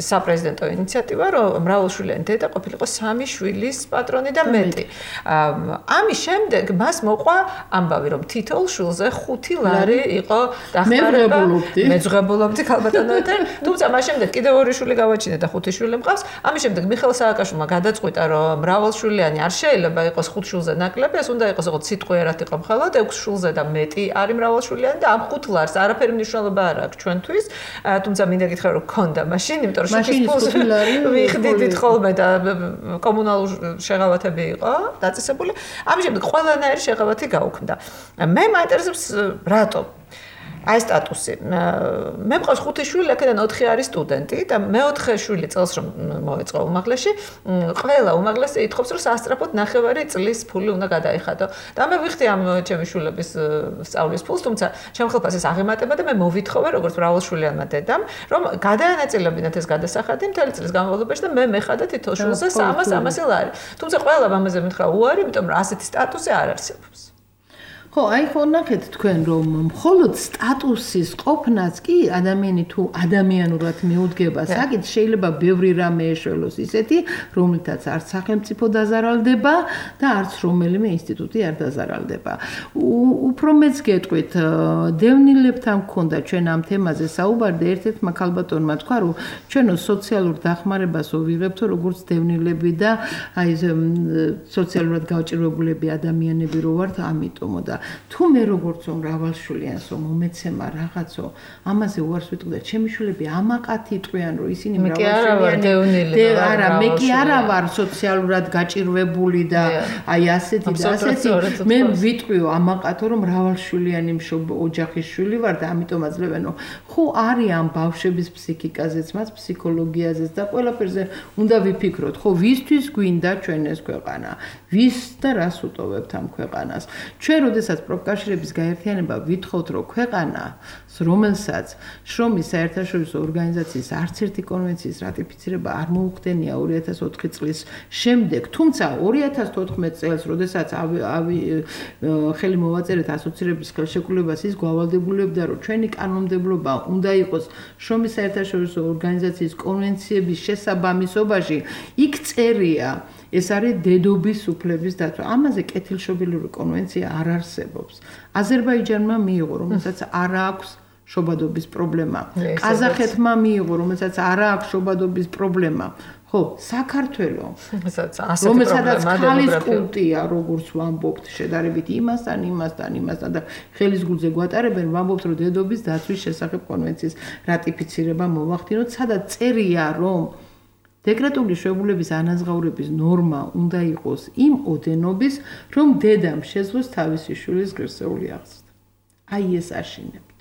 Speaker 2: საპრეზიდენტო ინიციატივა, რომ მრავალშვილიანი დედა ყოფილიყო 3 შვილის პატრონი და მეტი. ამის შემდეგ მას მოყვა ამბავი, რომ თითოეულ შვილზე 5 ლარი იყო დახმარება. მეძღებულობდი ქალბატონო ეთერ, თუმცა მას შემდეგ კიდევ 2 შვილი გავაჩინა და 5 შვილი მყავს. ამის შემდეგ მიხეილ სააკაშვილმა გადაწყვიტა, რომ მრავალშვილიანი არ შეიძლება იყოს 5 შვილზე ნაკლები, ეს უნდა იყოს როგორც სიტყვიერად იყო მხოლოდ 6 შვილზე და მეტი არის მრავალშვილიანი და ამ 5 ლარს არაფერი მნიშვნელობა არ აქვს ჩვენთვის. თუმცა მინდა გითხრა, რომ ქონდა მაშინ, იმიტომ რომ შეთის ფულს ვიხდით ხოლმე და კომუნალური შეღავათები იყო დაწესებული. ამის შემდეგ ყველანაირი შეღავათი გაუქმდა. მე მაინტერესებს რატომ აი სტატუსი. მე მყავს 5 შვილი, აქედან 4 არის სტუდენტი და მე-4 შვილი წელს რომ მოეწყო უმაღლესში, ყველა უმაღლესი ითხოვს რომ სასწრაფოდ 9 წლის ფული უნდა გადაიხადო. და მე ვიხდი ამ ჩემი შვილების სწავლის ფულს, თუმცა ჩემ ხელფასს ეს აღემატება და მე მოვითხოვე როგორც მრავალშვილიანმა დედამ, რომ გადაანაწილებინათ ეს გადასახადი მთელი წლის განმავლობაში და მე მეხადა თითო შვილზე 300 ლარი. თუმცა ყველა მამაზე მითხრა უარი, იმიტომ რომ ასეთი სტატუსი არ არსებობს.
Speaker 3: ხო, აი ხო ნახეთ თქვენ რომ მხოლოდ სტატუსის ყოფნაც კი ადამიანი თუ ადამიანურად მიუდგება, საკით შეიძლება ბევრი რამე ეშველოს ისეთი, რომლითაც არც სახელმწიფო დაზარალდება და არც რომელიმე ინსტიტუტი არ დაზარალდება. უფრო მეც გეტყვით, დევნილებთან მქონდა ჩვენ ამ თემაზე საუბარი და ერთ-ერთმა ქალბატონმა თქვა, რომ ჩვენო სოციალურ დახმარებას ვიღებთო როგორც დევნილები და აი სოციალურად გავჭირვებულები ადამიანები რო ვართ, ამიტომო და თუ მე როგორც მრავალშვილიანსო მომეცემა რაღაცო ამაზე უარს ვიტყვი და ჩემი შვილები ამაყათი იტყვიან რომ ისინი მრავალშვილიანი არა მე კი არა ვარ სოციალურად გაჭირვებული და აი ასეთი და ასეთი მე ვიტყვიო ამაყათო რომ მრავალშვილიანი ოჯახის შვილი ვარ და ამიტომ აძლევენო ხო არის ამ ბავშვების ფსიქიკაზეც მას ფსიქოლოგიაზეც და ყველაფერზე უნდა ვიფიქროთ ხო ვისთვის გვინდა ჩვენ ეს ქვეყანა ვის და რას უტოვებთ ამ ქვეყანას ჩვენ როდესაც პროფკავშირების გაერთიანება ვითხოვთ რომ ქვეყანა რომელსაც შრომის საერთაშორისო ორგანიზაციის არც ერთი კონვენციის რატიფიცირება არ მოუხდენია 2004 წლის შემდეგ თუმცა 2014 წელს როდესაც ხელი მოვაწერეთ ასოცირების ხელშეკრულებას ის გვავალდებულებდა რომ ჩვენი კანონმდებლობა უნდა იყოს შრომის საერთაშორისო ორგანიზაციის კონვენციების შესაბამისობაში იქ წერია ეს არის დედობის უფლების დაცვა. ამაზე კეთილშობილური კონვენცია არ არსებობს. აზერბაიჯანმა მიიღო, რომელსაც არ აქვს შობადობის პრობლემა. ყაზახეთმა მიიღო, რომელსაც არ აქვს შობადობის პრობლემა. ხო, საქართველოს, რომელსაც ხალის კულტია, როგორც ვამბობთ, შედარებით იმასთან და ხელის გულზე გვატარებენ, ვამბობთ, რომ დედობის დაცვის შესახებ კონვენციის რატიფიცირება მოვახდინოთ, სადაც წერია, რომ დეკრეტული შვებულების ანაზღაურების ნორმა უნდა იყოს იმ ოდენობის, რომ დედამ შეძლოს თავისი შვილის ღირსეული აღზრდა. აი ეს აშინებთ.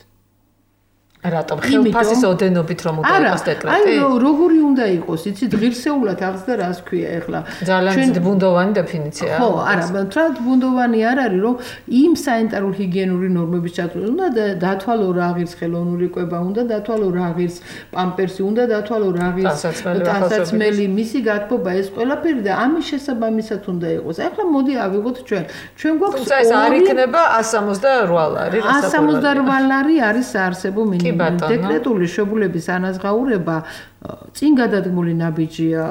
Speaker 2: რატომ ხელფასის ოდენობით რომ უნდა იყოს დეკრეტი?
Speaker 3: აი როგორი უნდა იყოს, იცით, ღირსეულად აღზრდა რას ქვია ახლა?
Speaker 2: ძალიან ბუნდოვანი დეფინიციაა.
Speaker 3: ხო, არა, თრად ბუნდოვანი არ არის, რომ იმ სანიტარულ ჰიგიენური ნორმების ჩათვლით უნდა დათვალო რა ღირს ხელოვნური კვება, უნდა დათვალო რა ღირს პამპერსი, უნდა დათვალო რა ღირს ტანსაცმელი, მისი გათბობა ეს ყველაფერი და ამის შესაბამისად უნდა იყოს. ახლა მოდი ავიღოთ ჩვენ. ჩვენ გვაქვს
Speaker 2: თუმცა ეს არ იქნება 168 ლარი,
Speaker 3: 168 ლარი არის საარსებო მინიმუმი. დეკრეტული შვებულების ანაზღაურება წინ გადადგმული ნაბიჯია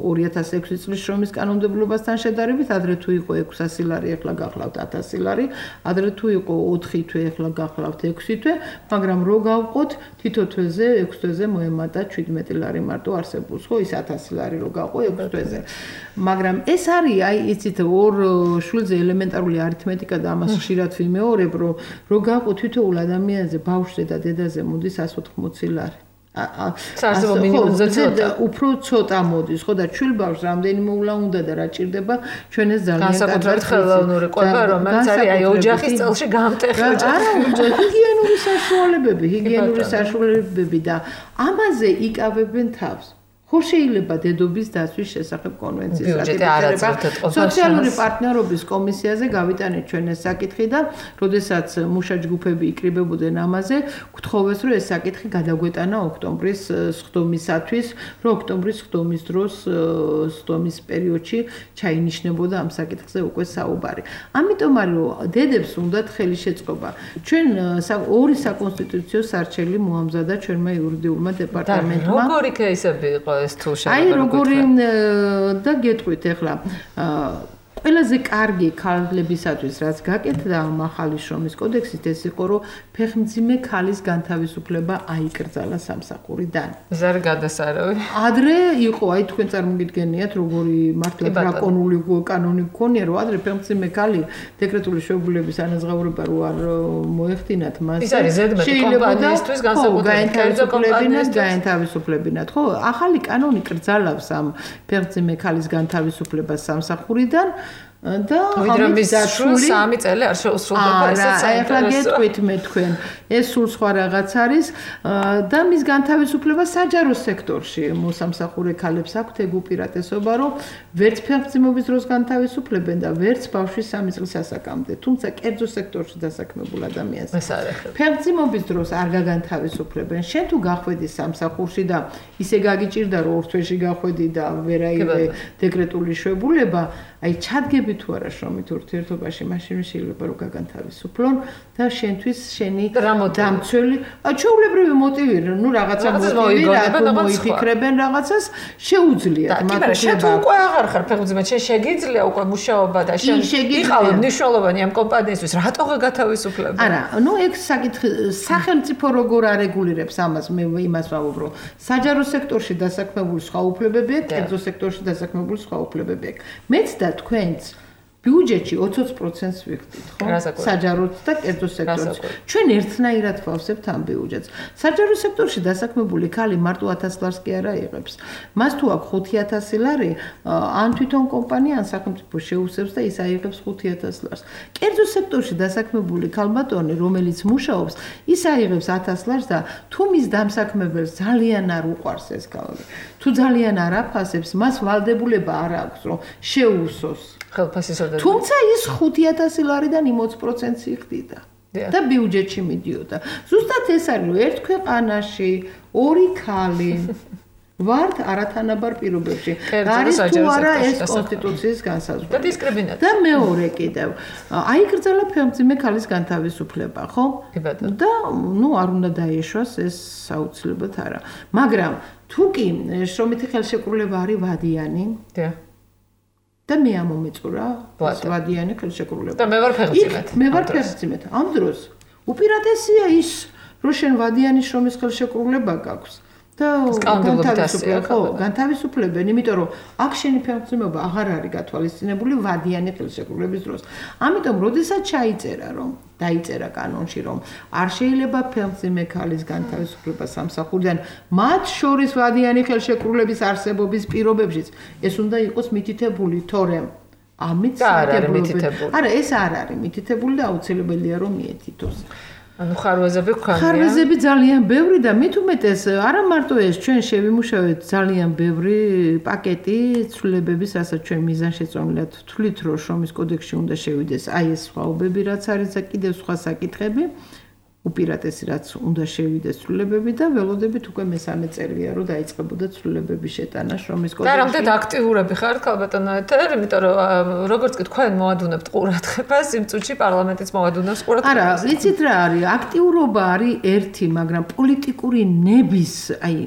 Speaker 3: 2006 წლის შრომის კანონმდებლობასთან შედარებით, ადრე თუ იყო 600 ლარი, ახლა გახლავთ 1000 ლარი, ადრე თუ იყო 4 თვე, ახლა გახლავთ 6 თვე, მაგრამ რო გავყოთ, თითო თვეზე 6 თვეზე მოემატა 17 ლარი მარტო არსებობს, ხო, ის 1000 ლარი რო გავყო 6 თვეზე. მაგრამ ეს არის, აი, იცით, ორ შვილზე ელემენტარული არითმეტიკა და ამას ხშირად ვიმეორებ, რომ რო გავყო თითოეულ ადამიანზე, ბავშვზე და დედაზე მოდის 180 ლარი.
Speaker 2: საარსებო მინიმუმზე ცოტა
Speaker 3: უფრო ცოტა მოდის ხო და ჩვილბავშვს რამდენიმე ულა უნდა და რა ჭირდება ჩვენ ეს ძალიან
Speaker 2: განსაკუთრებით ხელოვნური კვება რომელიც არის აი ოჯახის წელში გამტეხი
Speaker 3: არა ჰიგიენური საშუალებები და ამაზე იკავებენ თავს ხო შეიძლება დედობის დაცვის შესახებ კონვენციის რატიფიცირება სოციალური პარტნიორობის კომისიაზე გავიტანეთ ჩვენ ეს საკითხი და როდესაც მუშა ჯგუფები იკრიბებოდნენ ამაზე გთხოვეს რომ ეს საკითხი გადაგვეტანა ოქტომბრის სხდომისათვის რომ ოქტომბრის სხდომის დროს სხდომის პერიოდში ჩაინიშნებოდა ამ საკითხზე უკვე საუბარი ამიტომ არის რომ დედებს უნდათ ხელი შეწყობა ჩვენ ორი საკონსტიტუციო სარჩელი მოამზადა ჩვენმა იურიდიულმა დეპარტამენტმა
Speaker 2: და როგორი кейსები იყო
Speaker 3: აი როგორი და გეტყვით ახლა ყველაზე კარგი ქალებისათვის რაც გაკეთდა ახალი შრომის კოდექსით ეს იყო რომ ფეხმძიმე ქალის განთავისუფლება აიკრძალა სამსახურიდან.
Speaker 2: ეს არ გადასარავი.
Speaker 3: ადრე იყო აი თქვენ წარმოგიდგენიათ როგორი მართლა დრაკონული კანონი გქონია რომ ადრე ფეხმძიმე ქალი დეკრეტული შვებულების ანაზღაურება რო არ მოეხდინათ მას.
Speaker 2: ის არის ზედმეტი კომპანიისთვის განსაკუთრებით
Speaker 3: გაენთავისუფლებინათ ხო? ახალი კანონი კრძალავს ამ ფეხმძიმე ქალის განთავისუფლებას სამსახურიდან და
Speaker 2: ამის სამი წელი არ შეუსრულდება ესეც
Speaker 3: ახლა გეტყვით მე თქვენ ეს სულ სხვა რაღაც არის და მის განთავისუფლება საჯარო სექტორში მოსამსახურე ქალებს აქვთ ეგ უპირატესობა რომ ვერც ფეხმძიმობის დროს განთავისუფლებენ და ვერც ბავშვის 3 წლის ასაკამდე თუმცა კერძო სექტორში დასაქმებულ ადამიანს ფეხმძიმობის დროს არ გაგანთავისუფლებენ შენ თუ გახვედი სამსახურში და ისე გაგიჭირდა რომ 2 თვეში გახვედი და ვერაიღე დეკრეტული შვებულება აი ჩადგები თუ არა შრომით ურთიერთობაში მაშინ შეიძლება რომ გაგანთავისუფლონ და შენთვის შენი დამცველი ჩვეულებრივი მოტივი ნუ რაღაცა მოტივი რატომ მოიფიქრებენ რაღაცას შეუძლიათ
Speaker 2: მათ შენ თუ უკვე აღარ ხარ ფეხმძიმედ შენ შეგიძლია უკვე მუშაობა და შენ იყავი მნიშვნელოვანი ამ კომპანიისთვის რატო გათავისუფლებ
Speaker 3: არა ნუ ეგ საკითხი სახელმწიფო როგორ არეგულირებს ამას მე იმას ვამბობ რომ საჯარო სექტორში დასაქმებული სხვა უფლებები აქვს კერძო სექტორში დასაქმებული სხვა უფლებები აქვს მეც და თქვენც ბიუჯეტში 20%-ს ვიხდით, ხო? საჯაროდ და კერძო სექტორში. ჩვენ ერთნაირად ვავსებთ ამ ბიუჯეტს. საჯარო სექტორში დასაქმებული ქალი მარტო 1000 ლარს კი არა იღებს. მას თუ აქვს 5000 ლარი, ან თვითონ კომპანია, ან სახელმწიფო შეუსწევს და ის აიღებს 5000 ლარს. კერძო სექტორში დასაქმებული ქალბატონი, რომელიც მუშაობს, ის აიღებს 1000 ლარს და თუ მის დამსაქმებელს ძალიან არ უყვარს ეს ქალი, თუ ძალიან არ აფასებს, მას ვალდებულება არ აქვს, რომ შეუსოს თუმცა ის 5000 ლარიდან 20%-ს იხდიდა და ბიუჯეტში მიდიოდა. ზუსტად ეს არის რომ ერთ ქვეყანაში ორი ქალი ვართ არათანაბარ პირობებში. არის თუ არა ეს კონსტიტუციის განსაზღვრება.
Speaker 2: და დისკრიმინაცია.
Speaker 3: და მეორე კიდევ აიგრძელა ფეხმძიმე ქალის განთავისუფლება, ხო? და ნუ არ უნდა დაეშვას ეს საუცილებლად არა. მაგრამ თუ კი შრომითი ხელშეკრულება არის ვადიანი, და მე ამომეწურა ვადიანი ხელშეკრულება.
Speaker 2: და მე ვარ ფეხმძიმედ.
Speaker 3: მე ვარ ფეხმძიმედ. ამ დროს უპირატესია ის, რომ შენ ვადიანი შრომის ხელშეკრულება გაქვს. და განთავისუფლებენ, იმიტომ რომ აქ შენი ფეხმძიმება აღარ არის გათვალისწინებული ვადიანი ხელშეკრულების დროს. ამიტომ, როდესაც დაიწერა კანონში, რომ არ შეიძლება ფეხმძიმე ქალის განთავისუფლება სამსახურიდან, მათ შორის ვადიანი ხელშეკრულების არსებობის პირობებშიც, ეს უნდა იყოს მითითებული, თორემ ამით
Speaker 2: მითითებული.
Speaker 3: არა, ეს არ არის მითითებული და აუცილებელია რომ მიეთითოს.
Speaker 2: ანუ ხარვეზები გვქონია.
Speaker 3: ხარვეზები ძალიან ბევრი და მით უმეტეს არა მარტო ეს ჩვენ შევიმუშავეთ ძალიან ბევრი პაკეტი ცვლილებების, რასაც ჩვენ მიზანშეწონილად ვთვლით, რომ შრომის კოდექსში უნდა შევიდეს აი ეს სხვაობები, რაც არის და კიდევ სხვა საკითხები. უპირატესი რაც უნდა შევიდეს ცვლილებები და ველოდებით უკვე მესამე წელია რომ დაიწყებოდა ცვლილებების შეტანა შრომის კოდექსში.
Speaker 2: და რამდენად აქტიურები ხართ ქალბატონო ეთერ, იმიტომ რომ როგორც კი თქვენ მოადუნებთ ყურადღებას, იმ წუთში პარლამენტიც მოადუნებს ყურადღებას.
Speaker 3: არა, ვიცით რა არის, აქტიურობა არის ერთი, მაგრამ პოლიტიკური ნების, აი,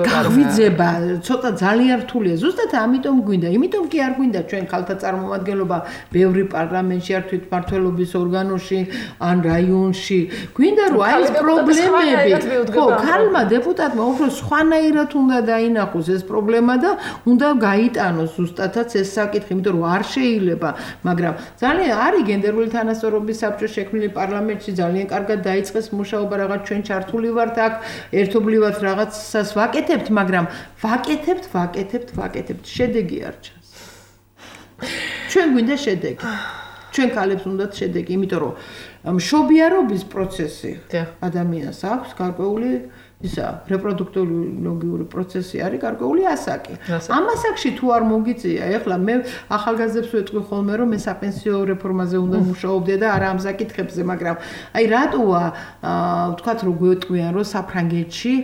Speaker 3: გაღვიძება ცოტა ძალიან რთულია. ზუსტად ამიტომ გვინდა, იმიტომ კი არ გვინდა ჩვენ ხალხთა წარმომადგენლობა ბევრი პარლამენტში არ თვითმმართველობის ორგანოში, ან რაიონში. გვინდა რომ აი ეს პრობლემები ხო ქალმა დეპუტატმა უფრო სხვანაირად უნდა დაინახოს ეს პრობლემა და უნდა გაიტანოს ზუსტადაც ეს საკითხი, იმიტომ რომ არ შეიძლება, მაგრამ ძალიან არის გენდერული თანასწორობის საბჭო შექმნილი პარლამენტში ძალიან კარგად დაიწყეს მუშაობა, რაღაც ჩვენ ჩართული ვართ აქ, ერთობლივად რაღაცას ვაკეთებთ, მაგრამ ვაკეთებთ, შედეგი არ ჩანს. ჩვენ გვინდა შედეგი. ჩვენ ქალებს უნდათ შედეგი, იმიტომ რომ მშობიარობის პროცესი ადამიანს აქვს გარკვეული ისა რეპროდუქტოლოგიური პროცესი არის გარკვეული ასაკი. ამ ასაკში თუ არ მოგიწია, ეხლა მე ახალგაზრდებს ვეთქვი ხოლმე რომ მე საპენსიო რეფორმაზე უნდა მუშაობდე და არა ამ საკითხებზე, მაგრამ აი რატოა ვთქვათ რომ გვეტყვიან რომ საფრანგეთში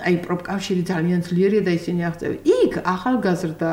Speaker 3: აი პროფკავშირი ძალიან ძლიერია და ისინი აღწევენ. იქ ახალგაზრდა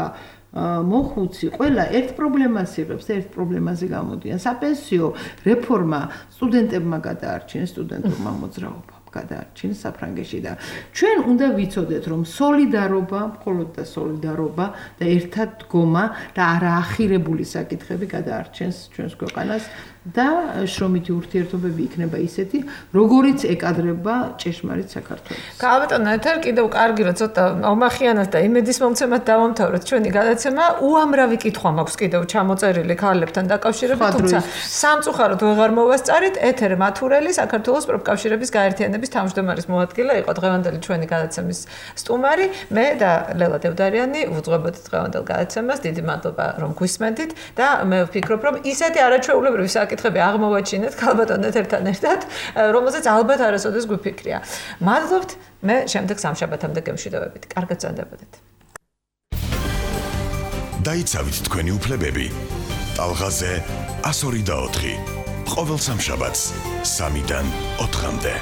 Speaker 3: მოხუცი ყველა ერთ პრობლემას იღებს და ერთ პრობლემაზე გამოდიან. საპენსიო რეფორმა სტუდენტებმა გადაარჩინეს, სტუდენტურმა მოძრაობამ გადაარჩინეს საფრანგეთში და ჩვენ უნდა ვიცოდეთ რომ სოლიდარობა, მხოლოდ და სოლიდარობა და ერთად დგომა და არაახირებული საკითხები გადაარჩენს ჩვენს ქვეყანას და შრომითი ურთიერთობები იქნება ისეთი, როგორიც ეკადრება ჭეშმარიტ საქართველოს.
Speaker 2: გავაბატონო, ეთერ კიდევ კარგი რომ ცოტა ომახიანად და იმედის მომცემად დავამთავროთ ჩვენი გადაცემა. უამრავი კითხვა მაქვს კიდევ ჩამოწერილი ქალებთან დაკავშირებით, თუმცა სამწუხაროდ ვეღარ მოვასწარით. ეთერ მათურელი, საქართველოს პროფკავშირების გაერთიანების თავმჯდომარის მოადგილე იყო დღევანდელი ჩვენი გადაცემის სტუმარი. მე და ლელა დევდარიანი ვუძღვებოდი დღევანდელ გადაცემას. დიდი მადლობა რომ გვისმენთ და მე ვფიქრობ რომ ისეთი არაჩვეულებრივი საკითხები აღმოვაჩინეთ ქალბატონ ეთერთან ერთად, რომელზეც ალბათ არასოდეს გვიფიქრია. მადლობთ, მე შემდეგ სამშაბათამდე გემშვიდობებით. კარგად წანდებოდეთ.
Speaker 6: დაიცავით თქვენი უფლებები. ტალღაზე 102 და 4. ყოველ სამშაბათს 3-დან 4-მდე.